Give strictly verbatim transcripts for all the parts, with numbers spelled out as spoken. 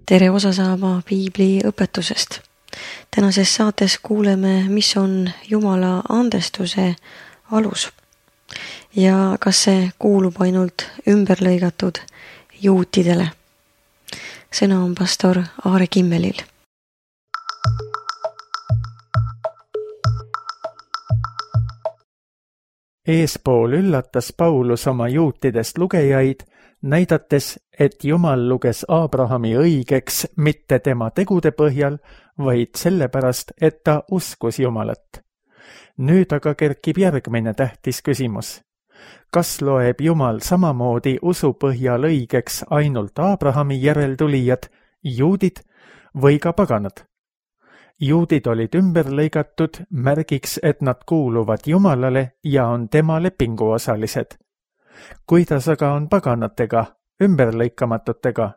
tere osa saama piibli õpetusest. Tänases saates kuuleme, mis on Jumala andestuse alus ja kas see kuulub ainult ümberlõigatud juutidele. Sõna on pastor Aare Kimmelil. Eespool üllatas Paulus oma juutidest lugejaid, näidates, et Jumal luges Aabrahami õigeks mitte tema tegude põhjal, vaid sellepärast, et ta uskus Jumalat. Nüüd aga kerkib järgmine tähtis küsimus. Kas loeb Jumal samamoodi usu põhjal õigeks ainult Aabrahami järeltulijad, juudid või ka paganad? Juudid olid ümber lõigatud märgiks, et nad kuuluvad Jumalale ja on tema lepinguosalised. Kuidas aga on paganatega, ümberlõikamatutega?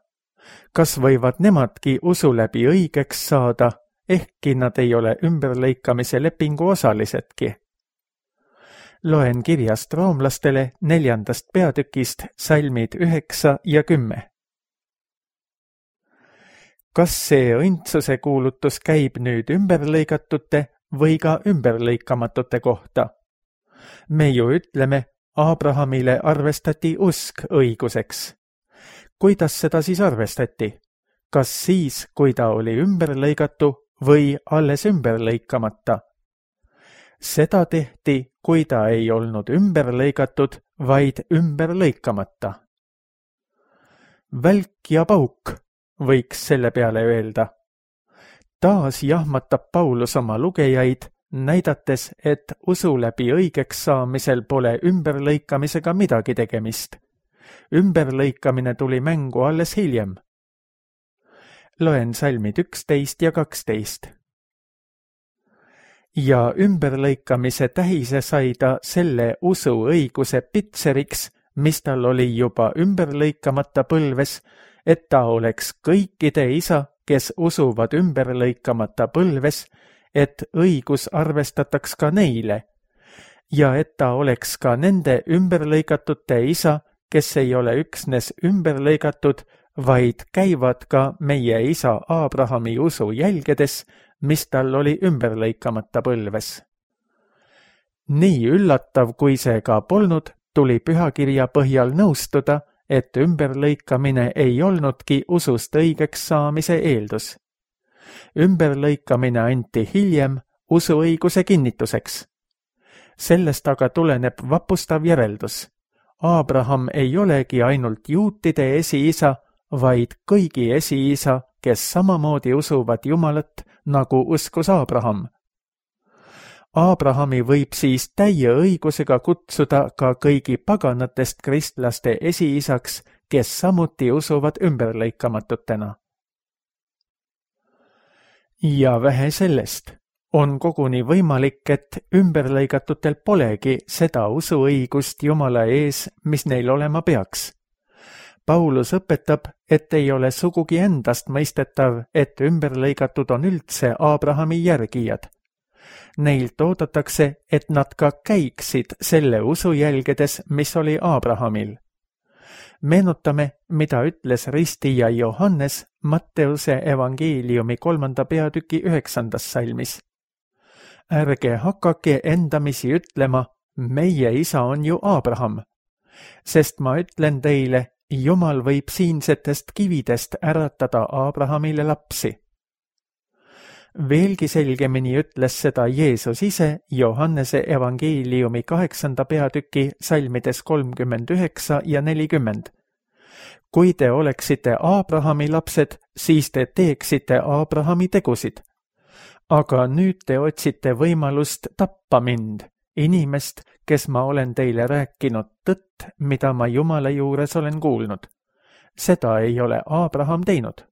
Kas võivad nemadki usu läbi õigeks saada, ehkki nad ei ole ümberlõikamise lepingu osalisedki? Loen kirjast roomlastele neljandast peatükist salmid üheksa ja kümme. Kas see õndsuse kuulutus käib nüüd ümberlõigatute või ka ümberlõikamatute kohta? Me ju ütleme, Aabrahamile arvestati usk õiguseks. Kuidas seda siis arvestati? Kas siis, kui ta oli ümberlõigatu või alles ümberlõikamata? Seda tehti, kui ta ei olnud ümberlõigatud, vaid ümberlõikamata. Välk ja pauk, võiks selle peale öelda. Taas jahmatab Paulus oma lugejaid, näidates, et usu läbi õigeks saamisel pole ümberlõikamisega midagi tegemist. Ümberlõikamine tuli mängu alles hiljem. Loen salmid üksteist ja kaksteist. Ja ümberlõikamise tähise sai ta selle usu õiguse pitseriks, mis tal oli juba ümberlõikamata põlves, et ta oleks kõikide isa, kes usuvad ümberlõikamata põlves, et õigus arvestataks ka neile, ja et ta oleks ka nende ümberlõigatute isa, kes ei ole üksnes ümberlõigatud, vaid käivad ka meie isa Aabrahami usu jälgedes, mis tal oli ümberlõikamata põlves. Nii üllatav, kui see ka polnud, tuli pühakirja põhjal nõustuda, et ümberlõikamine ei olnudki usust õigeks saamise eeldus. Ümberlõikamine anti hiljem usuõiguse kinnituseks. Sellest aga tuleneb vapustav järeldus. Aabraham ei olegi ainult juutide esiisa, vaid kõigi esiisa, kes samamoodi usuvad Jumalat, nagu uskus Aabraham. Aabrahami võib siis täie õigusega kutsuda ka kõigi paganatest kristlaste esiisaks, kes samuti usuvad ümberlõikamatutena. Ja vähe sellest, on koguni võimalik, et ümberlõigatutel polegi seda usuõigust Jumala ees, mis neil olema peaks. Paulus õpetab, et ei ole sugugi endast mõistetav, et ümberlõigatud on üldse Aabrahami järgijad. Neilt oodatakse, et nad ka käiksid selle usu jälgedes, mis oli Aabrahamil. Meenutame, mida ütles ristija Johannes Matteuse evangeeliumi kolmanda peatüki üheksandas salmis. Ärge hakake endamisi ütlema, meie isa on ju Aabraham, sest ma ütlen teile, Jumal võib siinsetest kividest äratada Aabrahamile lapsi. Veelgi selgemini ütles seda Jeesus ise Johannese evangeeliumi kaheksanda peatüki salmides kolmkümmend üheksa ja nelikümmend. Kui te oleksite Aabrahami lapsed, siis te teeksite Aabrahami tegusid. Aga nüüd te otsite võimalust tappa mind, inimest, kes ma olen teile rääkinud tõtt, mida ma Jumala juures olen kuulnud. Seda ei ole Aabraham teinud.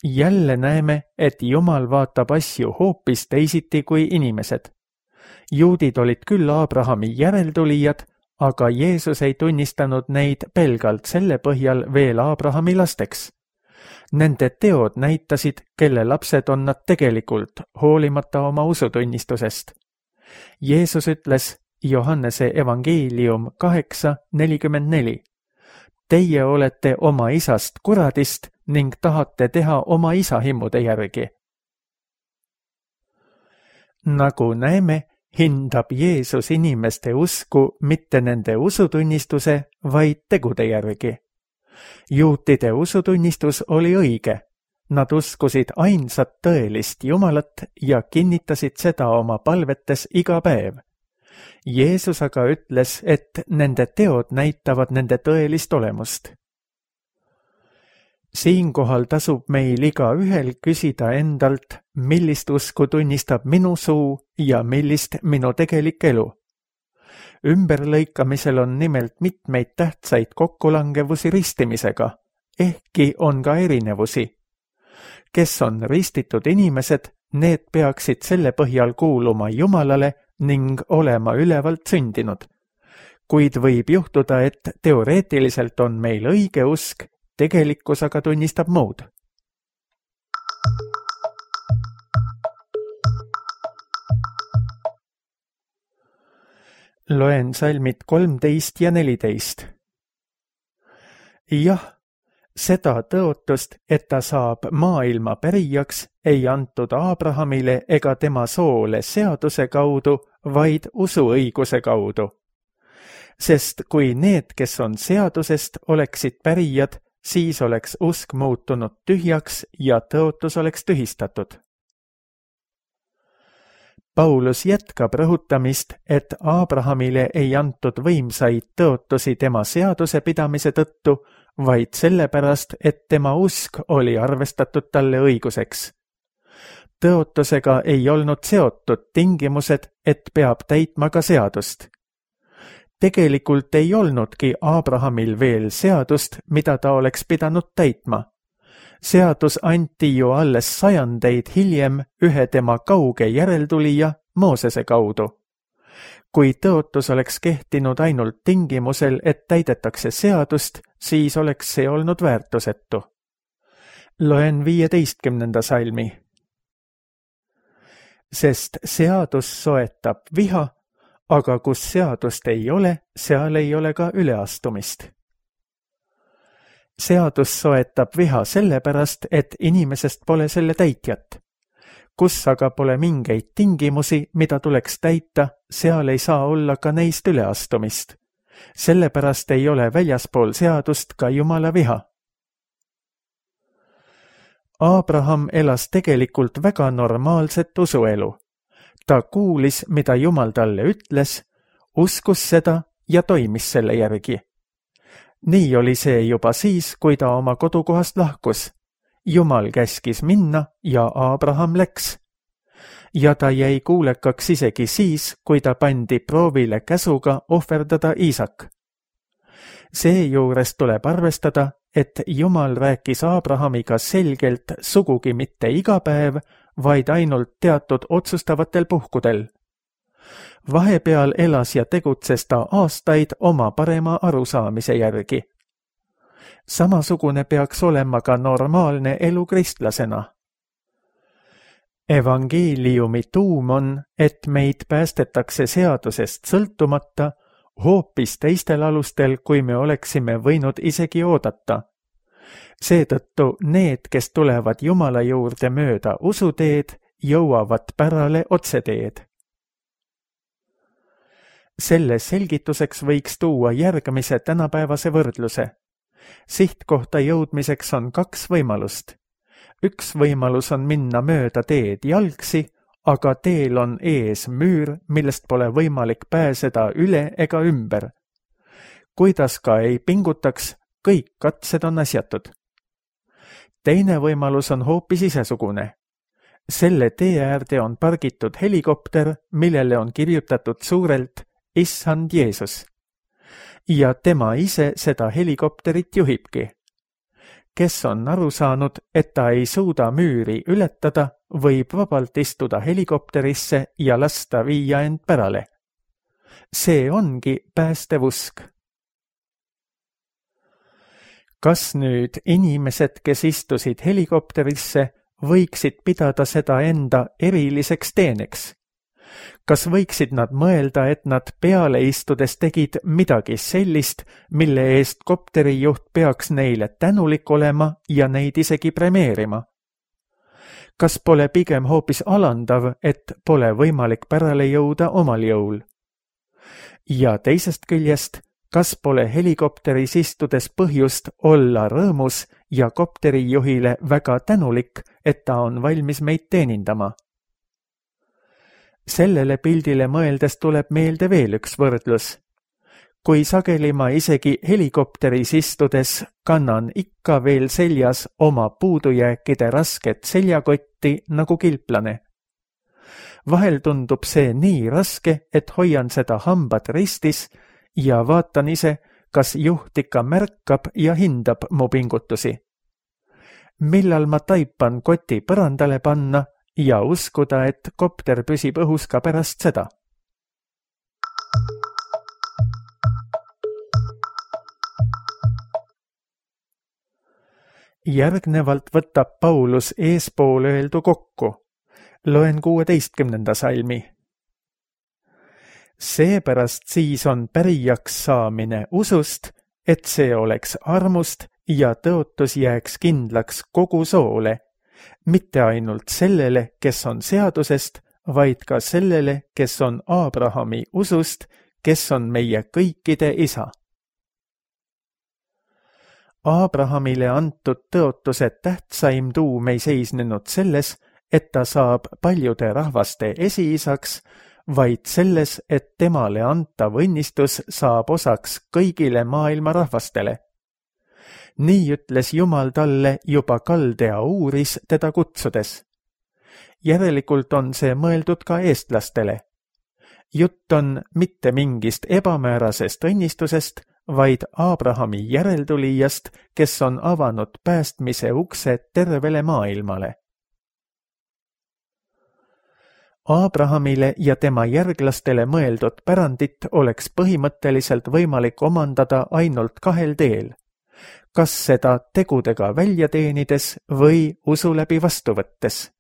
Jälle näeme, et Jumal vaatab asju hoopis teisiti kui inimesed. Juudid olid küll Aabrahami järeltulijad, aga Jeesus ei tunnistanud neid pelgalt selle põhjal veel Aabrahami lasteks. Nende teod näitasid, kelle lapsed on nad tegelikult, hoolimata oma usutunnistusest. Jeesus ütles Johannese evangeelium kaheksa nelikümmend neli. teie olete oma isast kuradist ning tahate teha oma isa himmude järgi. Nagu näeme, hindab Jeesus inimeste usku mitte nende usutunnistuse, vaid tegude järgi. Juutide usutunnistus oli õige. Nad uskusid ainsat tõelist Jumalat ja kinnitasid seda oma palvetes iga päev. Jeesus aga ütles, et nende teod näitavad nende tõelist olemust. Siinkohal tasub meil iga ühel küsida endalt, millist usku tunnistab minu suu ja millist minu tegelik elu. Ümberlõikamisel on nimelt mitmeid tähtsaid kokkulangevusi ristimisega, ehkki on ka erinevusi. Kes on ristitud inimesed, need peaksid selle põhjal kuuluma Jumalale ning olema ülevalt sündinud. Kuid võib juhtuda, et teoreetiliselt on meil õige usk, tegelikkus aga tunnistab muud. Loen salmid kolmteist ja neliteist. Jah, seda tõotust, et ta saab maailma pärijaks, ei antud Abrahamile ega tema soole seaduse kaudu, vaid usuõiguse kaudu. Sest kui need, kes on seadusest, oleksid pärijad, siis oleks usk muutunud tühjaks ja tõotus oleks tühistatud. Paulus jätkab rõhutamist, et Abrahamile ei antud võimsaid tõotusi tema seaduse pidamise tõttu, vaid sellepärast, et tema usk oli arvestatud talle õiguseks. Tõotusega ei olnud seotud tingimused, et peab täitma ka seadust. Tegelikult ei olnudki Abrahamil veel seadust, mida ta oleks pidanud täitma. Seadus anti ju alles sajandeid hiljem ühe tema kauge järeltulija Moosese kaudu. Kui tõotus oleks kehtinud ainult tingimusel, et täidetakse seadust, siis oleks see olnud väärtusetu. Loen viieteistkümnenda salmi. Sest seadus soetab viha, aga kus seadust ei ole, seal ei ole ka üleastumist. Seadus soetab viha sellepärast, et inimesest pole selle täitjat. Kus aga pole mingeid tingimusi, mida tuleks täita, seal ei saa olla ka neist üleastumist. Sellepärast ei ole väljaspool seadust ka Jumala viha. Abraham elas tegelikult väga normaalset usuelu. Ta kuulis, mida Jumal talle ütles, uskus seda ja toimis selle järgi. Nii oli see juba siis, kui ta oma kodukohast lahkus. Jumal käskis minna ja Abraham läks. Ja ta jäi kuulekaks isegi siis, kui ta pandi proovile käsuga ohverdada Iisak. Seejuures tuleb arvestada, et Jumal rääkis Abrahamiga selgelt sugugi mitte iga päev, vaid ainult teatud otsustavatel puhkudel. Vahepeal elas ja tegutses ta aastaid oma parema arusaamise järgi. Samasugune peaks olema ka normaalne elu kristlasena. Evangeeliumi tuum on, et meid päästetakse seadusest sõltumata, hoopis teistel alustel, kui me oleksime võinud isegi oodata. Seetõttu need, kes tulevad Jumala juurde mööda usuteed, jõuavad pärale otseteed. Selle selgituseks võiks tuua järgmise tänapäevase võrdluse. Sihtkohta jõudmiseks on kaks võimalust. Üks võimalus on minna mööda teed jalgsi, aga teel on ees müür, millest pole võimalik pääseda üle ega ümber. Kuidas ka ei pingutaks, kõik katsed on asjatud. Teine võimalus on hoopis isesugune. Selle tee äärde on pargitud helikopter, millele on kirjutatud suurelt Issand Jeesus. Ja tema ise seda helikopterit juhibki. Kes on aru saanud, et ta ei suuda müüri ületada, võib vabalt istuda helikopterisse ja lasta viia end pärale. See ongi päästev usk. Kas nüüd inimesed, kes istusid helikopterisse, võiksid pidada seda enda eriliseks teeneks? Kas võiksid nad mõelda, et nad peale istudes tegid midagi sellist, mille eest kopterijuht peaks neile tänulik olema ja neid isegi premeerima? Kas pole pigem hoopis alandav, et pole võimalik pärale jõuda omal jõul? Ja teisest küljest, kas pole helikopteris istudes põhjust olla rõõmus ja kopterijuhile väga tänulik, et ta on valmis meid teenindama? Sellele pildile mõeldes tuleb meelde veel üks võrdlus. Kui sageli ma isegi helikopteris istudes kannan ikka veel seljas oma puudujääkide rasket seljakotti nagu kilplane. Vahel tundub see nii raske, et hoian seda hambad ristis ja vaatan ise, kas juht ikka märkab ja hindab mu pingutusi. Millal ma taipan koti põrandale panna ja uskuda, et kopter püsib õhus ka pärast seda. Järgnevalt võtab Paulus eespool öeldu kokku. Loen kuueteistkümnenda salmi. Seepärast siis on pärijaks saamine usust, et see oleks armust ja tõotus jääks kindlaks kogu soole, mitte ainult sellele, kes on seadusest, vaid ka sellele, kes on Aabrahami usust, kes on meie kõikide isa. Aabrahamile antud tõotuse tähtsaim tuum ei seisnenud selles, et ta saab paljude rahvaste esiisaks, vaid selles, et temale antav õnnistus saab osaks kõigile maailma rahvastele. Nii ütles Jumal talle juba Kaldea uuris teda kutsudes. Järelikult on see mõeldud ka eestlastele. Jutt on mitte mingist ebamäärasest õnnistusest, vaid Aabrahami järeltulijast, kes on avanud päästmise ukse tervele maailmale. Aabrahamile ja tema järglastele mõeldud pärandit oleks põhimõtteliselt võimalik omandada ainult kahel teel. Kas seda tegudega välja teenides või usu läbi vastu võttes.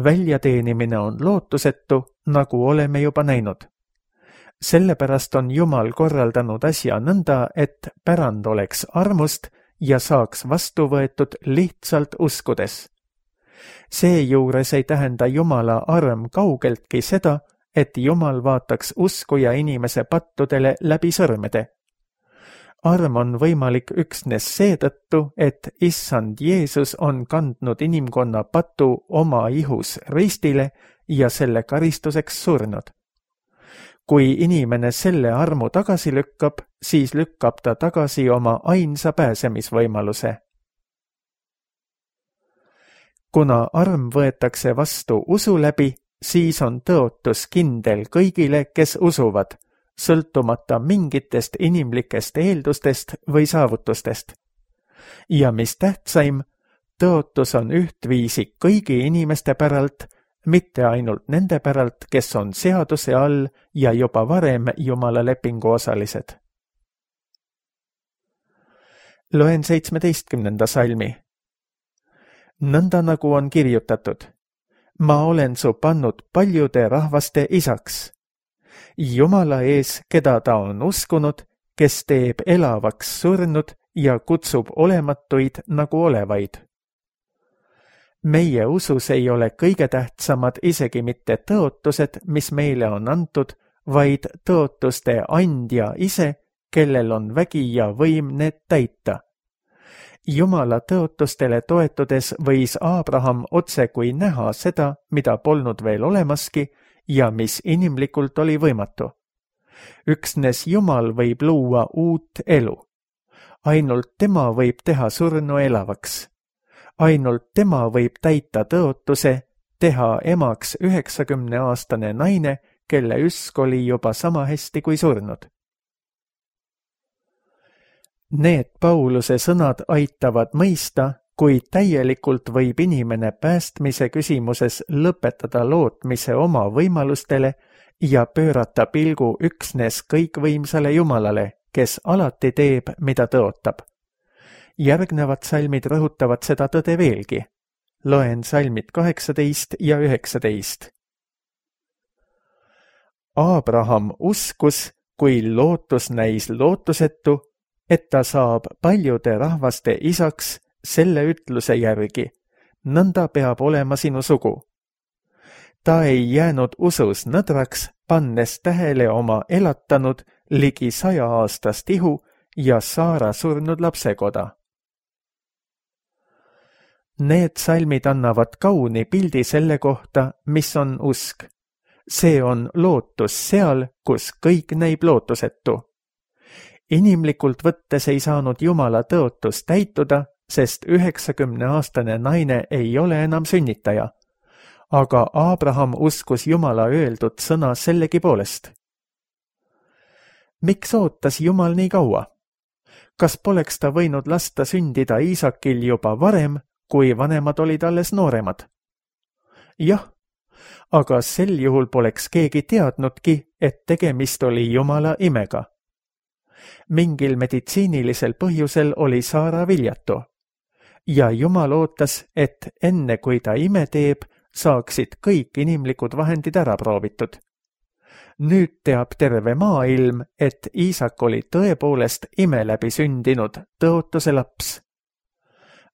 Väljateenimine on lootusetu, nagu oleme juba näinud. Sellepärast on Jumal korraldanud asja nõnda, et pärand oleks armust ja saaks vastu võetud lihtsalt uskudes. Seejuures ei tähenda Jumala arm kaugeltki seda, et Jumal vaataks uskuja inimese pattudele läbi sõrmede. Arm on võimalik üksnes seetõttu, et Issand Jeesus on kandnud inimkonna patu oma ihus ristile ja selle karistuseks surnud. Kui inimene selle armu tagasi lükkab, siis lükkab ta tagasi oma ainsa pääsemisvõimaluse. Kuna arm võetakse vastu usu läbi, siis on tõotus kindel kõigile, kes usuvad, sõltumata mingitest inimlikest eeldustest või saavutustest. Ja mis tähtsaim, tõotus on ühtviisi kõigi inimeste päralt, mitte ainult nende päralt, kes on seaduse all ja juba varem Jumala lepingu osalised. Loen seitsmeteistkümnenda salmi. Nõnda nagu on kirjutatud, ma olen su pannud paljude rahvaste isaks. Jumala ees, keda ta on uskunud, kes teeb elavaks surnud ja kutsub olematuid nagu olevaid. Meie usus ei ole kõige tähtsamad isegi mitte tõotused, mis meile on antud, vaid tõotuste andja ise, kellel on vägi ja võim need täita. Jumala tõotustele toetudes võis Aabraham otse kui näha seda, mida polnud veel olemaski ja mis inimlikult oli võimatu. Üksnes Jumal võib luua uut elu. Ainult tema võib teha surnu elavaks. Ainult tema võib täita tõotuse, teha emaks üheksakümneaastane naine, kelle üsk oli juba sama hästi kui surnud. Need Pauluse sõnad aitavad mõista, kui täielikult võib inimene päästmise küsimuses lõpetada lootmise oma võimalustele ja pöörata pilgu üksnes kõikvõimsale Jumalale, kes alati teeb, mida tõotab. Järgnevad salmid rõhutavad seda tõde veelgi. Loen salmid kaheksateist ja üheksateist. Aabraham uskus, kui lootus näis lootusetu, et ta saab paljude rahvaste isaks selle ütluse järgi, nõnda peab olema sinu sugu. Ta ei jäänud usus nõdraks, pannes tähele oma elatanud ligi saja aastast ihu ja Saara surnud lapsekoda. Need salmid annavad kauni pildi selle kohta, mis on usk. See on lootus seal, kus kõik näib lootusetu. Inimlikult võttes ei saanud Jumala tõotus täituda, sest üheksakümneaastane naine ei ole enam sünnitaja. Aga Aabraham uskus Jumala öeldud sõna sellegi poolest. Miks ootas Jumal nii kaua? Kas poleks ta võinud lasta sündida Iisakil juba varem, kui vanemad olid alles nooremad? Jah, aga sel juhul poleks keegi teadnudki, et tegemist oli Jumala imega. Mingil meditsiinilisel põhjusel oli Saara viljatu. Ja Jumal ootas, et enne kui ta ime teeb, saaksid kõik inimlikud vahendid ära proovitud. Nüüd teab terve maailm, et Iisak oli tõepoolest ime läbi sündinud tõotuse laps.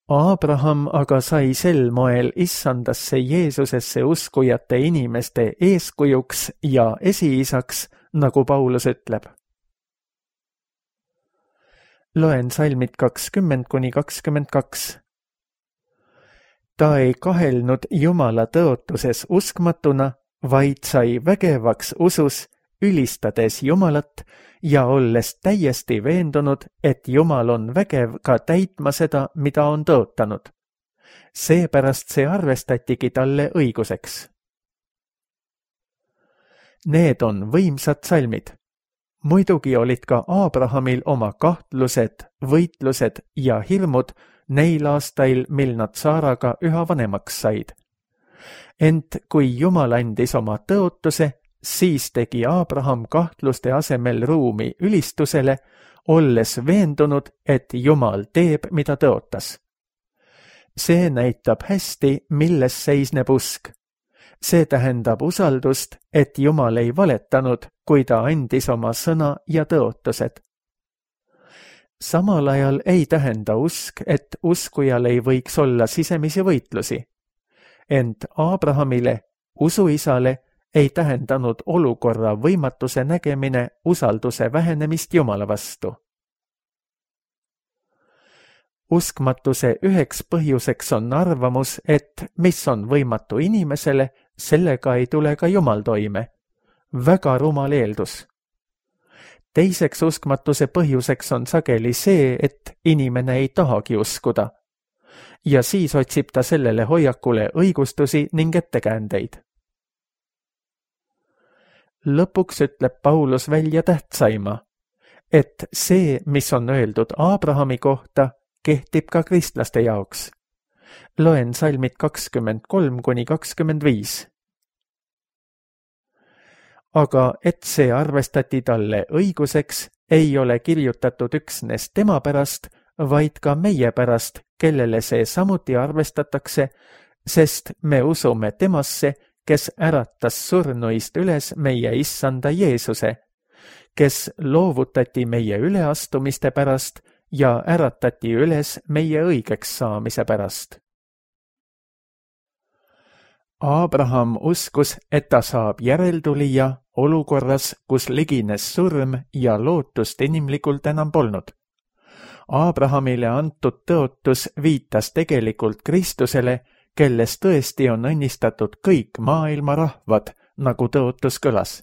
Aabraham aga sai sel moel issandasse Jeesusesse uskujate inimeste eeskujuks ja esiisaks, nagu Paulus ütleb. Loen salmid kakskümmend kuni kakskümmend kaks. Ta ei kahelnud Jumala tõotuses uskmatuna, vaid sai vägevaks usus, ülistades Jumalat ja olles täiesti veendunud, et Jumal on vägev ka täitma seda, mida on tõotanud. Seepärast see arvestatigi talle õiguseks. Need on võimsad salmid. Muidugi olid ka Aabrahamil oma kahtlused, võitlused ja hirmud neil aastail, mil nad Saaraga üha vanemaks said. Ent kui Jumal andis oma tõotuse, siis tegi Aabraham kahtluste asemel ruumi ülistusele, olles veendunud, et Jumal teeb, mida tõotas. See näitab hästi, milles seisneb usk. See tähendab usaldust, et Jumal ei valetanud, kui ta andis oma sõna ja tõotused. Samal ajal ei tähenda usk, et uskujal ei võiks olla sisemisi võitlusi. Ent Aabrahamile, usuisale, ei tähendanud olukorra võimatuse nägemine usalduse vähenemist Jumala vastu. Uskmatuse üheks põhjuseks on arvamus, et mis on võimatu inimesele, sellega ei tule ka Jumal toime. Väga rumal eeldus. Teiseks uskmatuse põhjuseks on sageli see, et inimene ei tahagi uskuda. Ja siis otsib ta sellele hoiakule õigustusi ning ettekäändeid. Lõpuks ütleb Paulus välja tähtsaima, et see, mis on öeldud Aabrahami kohta, kehtib ka kristlaste jaoks. Loen salmid kakskümmend kolm kuni kakskümmend viis. Aga et see arvestati talle õiguseks, ei ole kirjutatud üksnes tema pärast, vaid ka meie pärast, kellele see samuti arvestatakse, sest me usume temasse, kes äratas surnuist üles meie issanda Jeesuse, kes loovutati meie üleastumiste pärast ja äratati üles meie õigeks saamise pärast. Aabraham uskus, et ta saab järeltulija olukorras, kus ligines surm ja lootust inimlikult enam polnud. Aabrahamile antud tõotus viitas tegelikult Kristusele, kelles tõesti on õnnistatud kõik maailma rahvad, nagu tõotus kõlas.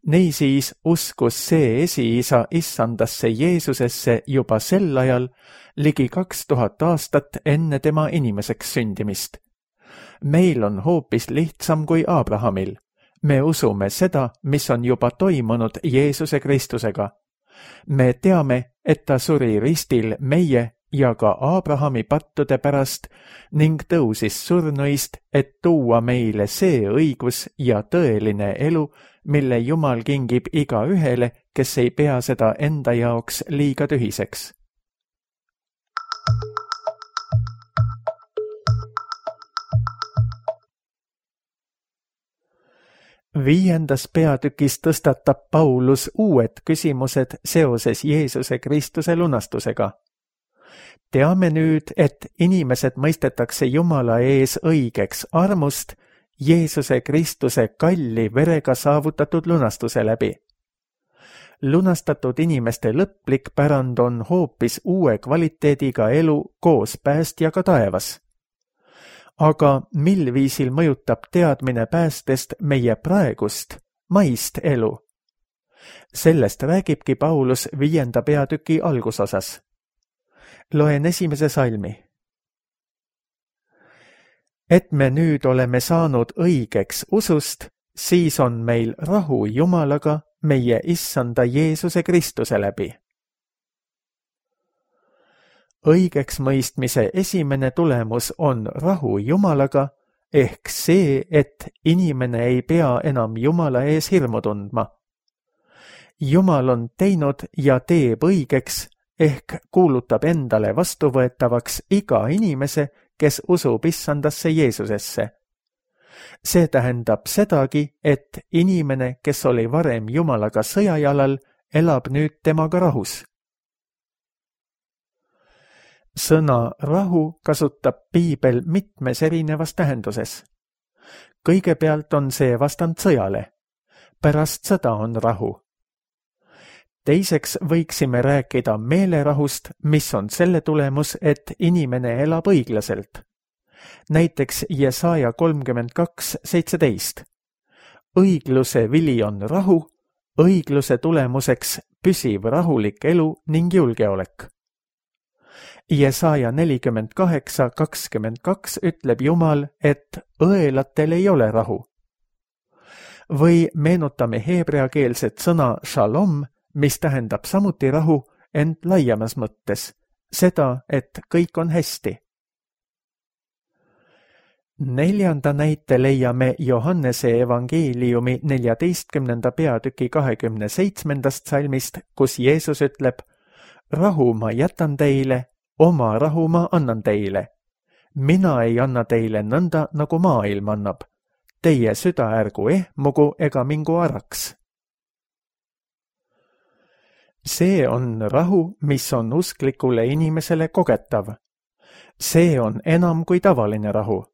Niisiis uskus see esiisa issandasse Jeesusesse juba sel ajal, ligi kaks tuhat aastat enne tema inimeseks sündimist. Meil on hoopis lihtsam kui Aabrahamil. Me usume seda, mis on juba toimunud Jeesuse Kristusega. Me teame, et ta suri ristil meie ja ka Aabrahami pattude pärast ning tõusis surnuist, et tuua meile see õigus ja tõeline elu, mille Jumal kingib iga ühele, kes ei pea seda enda jaoks liiga tühiseks. Viiendas peatükis tõstatab Paulus uued küsimused seoses Jeesuse Kristuse lunastusega. Teame nüüd, et inimesed mõistetakse Jumala ees õigeks armust Jeesuse Kristuse kalli verega saavutatud lunastuse läbi. Lunastatud inimeste lõplik pärand on hoopis uue kvaliteediga elu koos päästjaga taevas. Aga mil viisil mõjutab teadmine päästest meie praegust, maist elu? Sellest räägibki Paulus viienda peatüki algusosas. Loen esimese salmi. Et me nüüd oleme saanud õigeks usust, siis on meil rahu Jumalaga meie issanda Jeesuse Kristuse läbi. Õigeks mõistmise esimene tulemus on rahu Jumalaga, ehk see, et inimene ei pea enam Jumala ees hirmu tundma. Jumal on teinud ja teeb õigeks, ehk kuulutab endale vastuvõetavaks iga inimese, kes usub issandasse Jeesusesse. See tähendab sedagi, et inimene, kes oli varem Jumalaga sõjajalal, elab nüüd temaga rahus. Sõna rahu kasutab Piibel mitmes erinevas tähenduses. Kõigepealt on see vastand sõjale. Pärast sõda on rahu. Teiseks võiksime rääkida meelerahust, mis on selle tulemus, et inimene elab õiglaselt. Näiteks Jesaja kolmkümmend kaks seitseteist. Õigluse vili on rahu, õigluse tulemuseks püsiv rahulik elu ning julgeolek. Jesaja nelikümmend kaheksa kakskümmend kaks ütleb Jumal, et õelatel ei ole rahu. Või meenutame heebreakeelset sõna shalom, mis tähendab samuti rahu, ent laiemas mõttes, seda, et kõik on hästi. Neljanda näite leiame Johannese evangeeliumi neljateistkümnenda peatüki kahekümne seitsmendast salmist, kus Jeesus ütleb, rahu ma jätan teile, oma rahu ma annan teile. Mina ei anna teile nõnda, nagu maailm annab. Teie süda ärgu ehmugu ega mingu araks. See on rahu, mis on usklikule inimesele kogetav. See on enam kui tavaline rahu.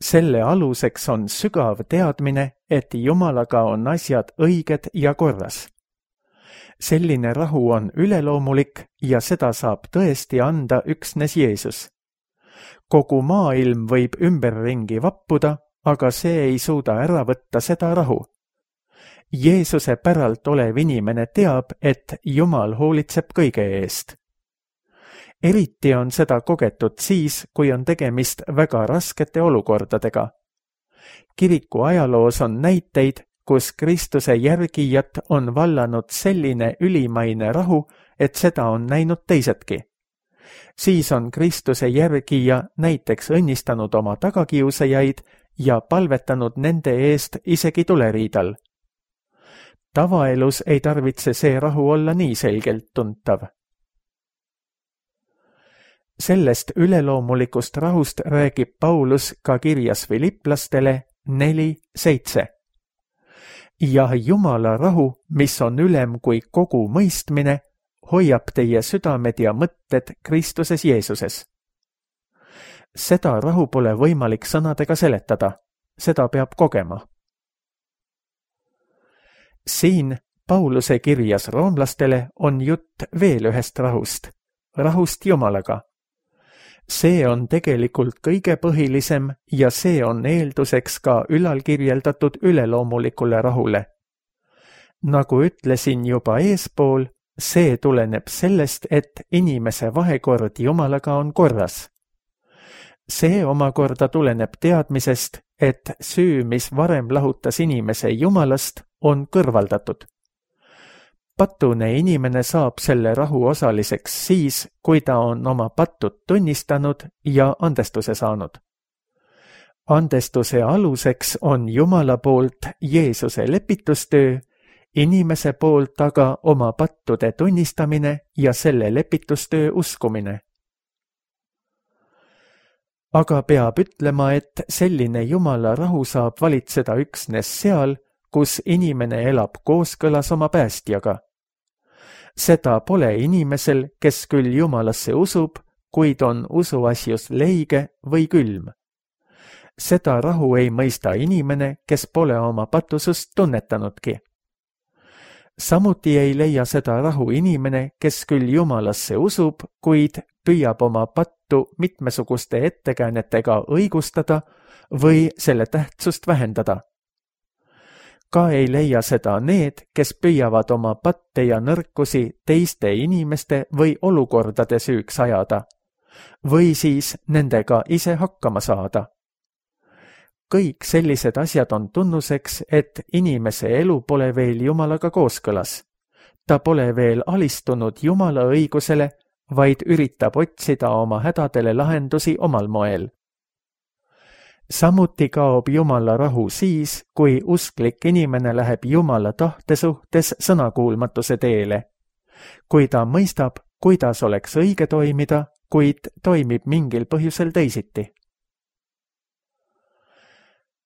Selle aluseks on sügav teadmine, et Jumalaga on asjad õiged ja korras. Selline rahu on üleloomulik ja seda saab tõesti anda üksnes Jeesus. Kogu maailm võib ümberringi vappuda, aga see ei suuda ära võtta seda rahu. Jeesuse päralt olev inimene teab, et Jumal hoolitseb kõige eest. Eriti on seda kogetud siis, kui on tegemist väga raskete olukordadega. Kiriku ajaloos on näiteid, kus Kristuse järgijat on vallanud selline ülimaine rahu, et seda on näinud teisedki. Siis on Kristuse järgija näiteks õnnistanud oma tagakiusajaid ja palvetanud nende eest isegi tuleriidal. Tavaelus ei tarvitse see rahu olla nii selgelt tuntav. Sellest üleloomulikust rahust räägib Paulus ka kirjas Filiplastele neli seitse. Ja Jumala rahu, mis on ülem kui kogu mõistmine, hoiab teie südamed ja mõtted Kristuses Jeesuses. Seda rahu pole võimalik sõnadega seletada, seda peab kogema. Siin Pauluse kirjas roomlastele on jutt veel ühest rahust, rahust Jumalaga. See on tegelikult kõige põhilisem ja see on eelduseks ka ülalkirjeldatud üleloomulikule rahule. Nagu ütlesin juba eespool, see tuleneb sellest, et inimese vahekord Jumalaga on korras. See omakorda tuleneb teadmisest, et süü, mis varem lahutas inimese Jumalast, on kõrvaldatud. Patune inimene saab selle rahu osaliseks siis, kui ta on oma pattud tunnistanud ja andestuse saanud. Andestuse aluseks on Jumala poolt Jeesuse lepitustöö, inimese poolt aga oma pattude tunnistamine ja selle lepitustöö uskumine. Aga peab ütlema, et selline Jumala rahu saab valitseda üksnes seal, kus inimene elab kooskõlas oma päästjaga. Seda pole inimesel, kes küll Jumalasse usub, kuid on usuasjus leige või külm. Seda rahu ei mõista inimene, kes pole oma patusust tunnetanudki. Samuti ei leia seda rahu inimene, kes küll Jumalasse usub, kuid püüab oma pattu mitmesuguste ettekäänetega õigustada või selle tähtsust vähendada. Ka ei leia seda need, kes püüavad oma patte ja nõrkusi teiste inimeste või olukordade süüks ajada, või siis nendega ise hakkama saada. Kõik sellised asjad on tunnuseks, et inimese elu pole veel Jumalaga kooskõlas. Ta pole veel alistunud Jumala õigusele, vaid üritab otsida oma hädadele lahendusi omal moel. Samuti kaob Jumala rahu siis, kui usklik inimene läheb Jumala tahte suhtes sõnakuulmatuse teele. Kui ta mõistab, kuidas oleks õige toimida, kuid toimib mingil põhjusel teisiti.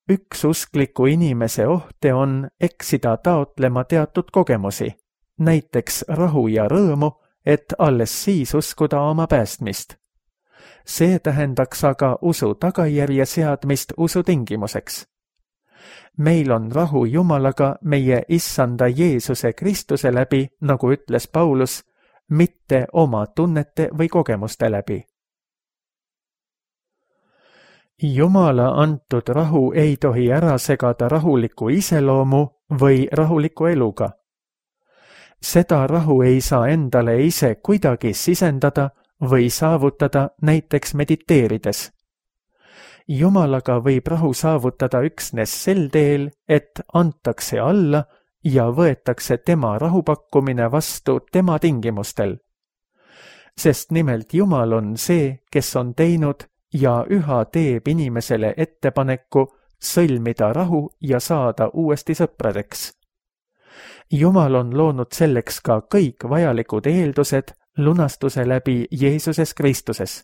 Üks uskliku inimese ohte on eksida taotlema teatud kogemusi, näiteks rahu ja rõõmu, et alles siis uskuda oma päästmist. See tähendaks aga usu tagajärje seadmist usu tingimuseks. Meil on rahu Jumalaga meie Issanda Jeesuse Kristuse läbi, nagu ütles Paulus, mitte oma tunnete või kogemuste läbi. Jumala antud rahu ei tohi ära segada rahuliku iseloomu või rahuliku eluga. Seda rahu ei saa endale ise kuidagi sisendada või saavutada näiteks mediteerides. Jumalaga võib rahu saavutada üksnes sel teel, et antakse alla ja võetakse tema rahupakkumine vastu tema tingimustel. Sest nimelt Jumal on see, kes on teinud ja üha teeb inimesele ettepaneku sõlmida rahu ja saada uuesti sõpradeks. Jumal on loonud selleks ka kõik vajalikud eeldused lunastuse läbi Jeesuses Kristuses.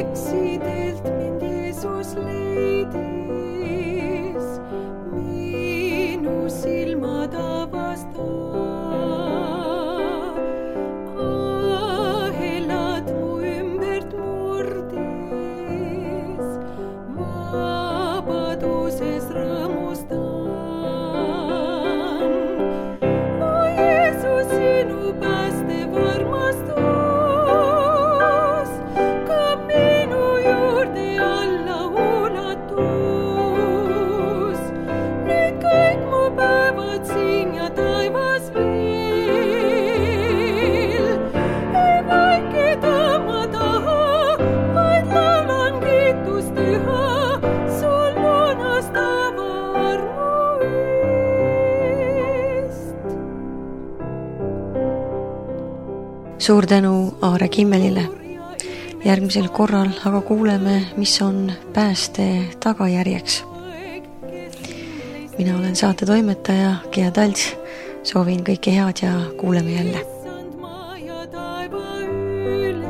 Eksidelt mind Jeesus leidis, minu silmad avastas, ahelad mu ümbert murdis, vabaduses rõõmustan. O Jeesus, sinu päästev armastus, ka minu juurde alla ulatus. Nüüd kõik mu päevad siin ja taevas veel, ei vaikida ma taha, vaid laulan kiitust üha sul lunastava armu eest. Suur tänu Aare Kimmelile. Järgmisel korral aga kuuleme, mis on pääste tagajärjeks. Mina olen saate toimetaja Gea Talts. Soovin kõike head ja kuuleme jälle. Issand, maa ja taeva üle.